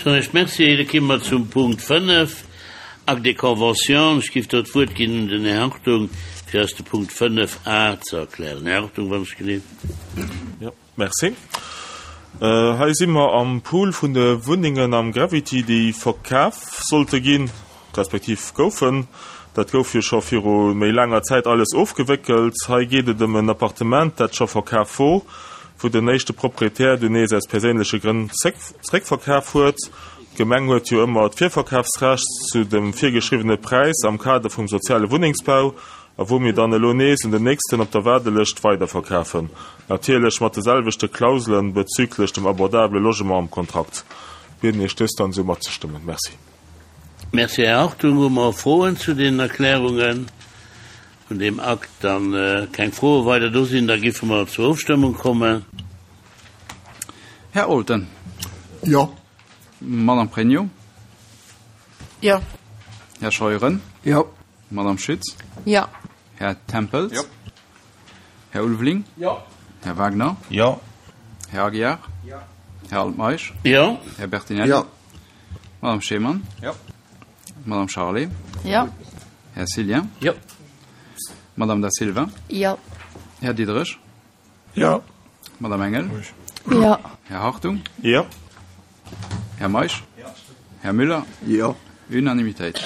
Soen ech Merci. Da komme mer zum Punkt 5, Acte de convention. Ech géif do d'Wuert ginn un den Här Hartung, fir eis de Punkt 5 a ze erklären. Här Hartung, wann ech gelift. Jo, merci. Hei si mer am Pool vun de Wunnengen am Gravity, déi verkaf sollte ginn, respektiv goufen. Dat gouf jo scho viru méi laanger Zäit alles ofgewéckelt. Hei geet et ëm en Appartement, dat scho verkaf wor, wou den éischte Proprietär dunn nees aus perséinleche Grënn zréckverkaf huet. D'Gemeng huet jo ëmmer d'Virverkafsrecht zu dem virgeschriwwene Präis am Kader vum soziale Wunnengsbau a wou mir dann elo nees un den nächsten op der Waardelëscht weiderverkafen, natierlech mat de selwechte Klauselen bezüglech dem abordabele Logement am Kontrakt. Bieden Iech dëst dann esou matzestëmmen. Merci. Merci, Här Hartung. Hu mer Froen zu deenen Erklärungen vun deem Akt? Dann keng Froe weider do sinn, da giffe mer zur Ofstëmmung kommen. Här Olten. Jo. Madame Pregno. Jo. Här Scheuren. Jo. Madame Schütz. Jo. Här Tempels. Jo. Här Ulveling. Jo. Här Wagner. Jo. Här Aguiar. Jo. Här Altmeisch. Jo. Här Bertinelli. Jo. Madame Schemann. Jo. Madame Charlé. Jo. Här Cillien. Jo. Madame Da Silva. Jo. Här Diderich. Jo. Madame Engel. Jo. Här Hartung. Jo. Här Meisch. Här Müller. Jo. Unanimitéit.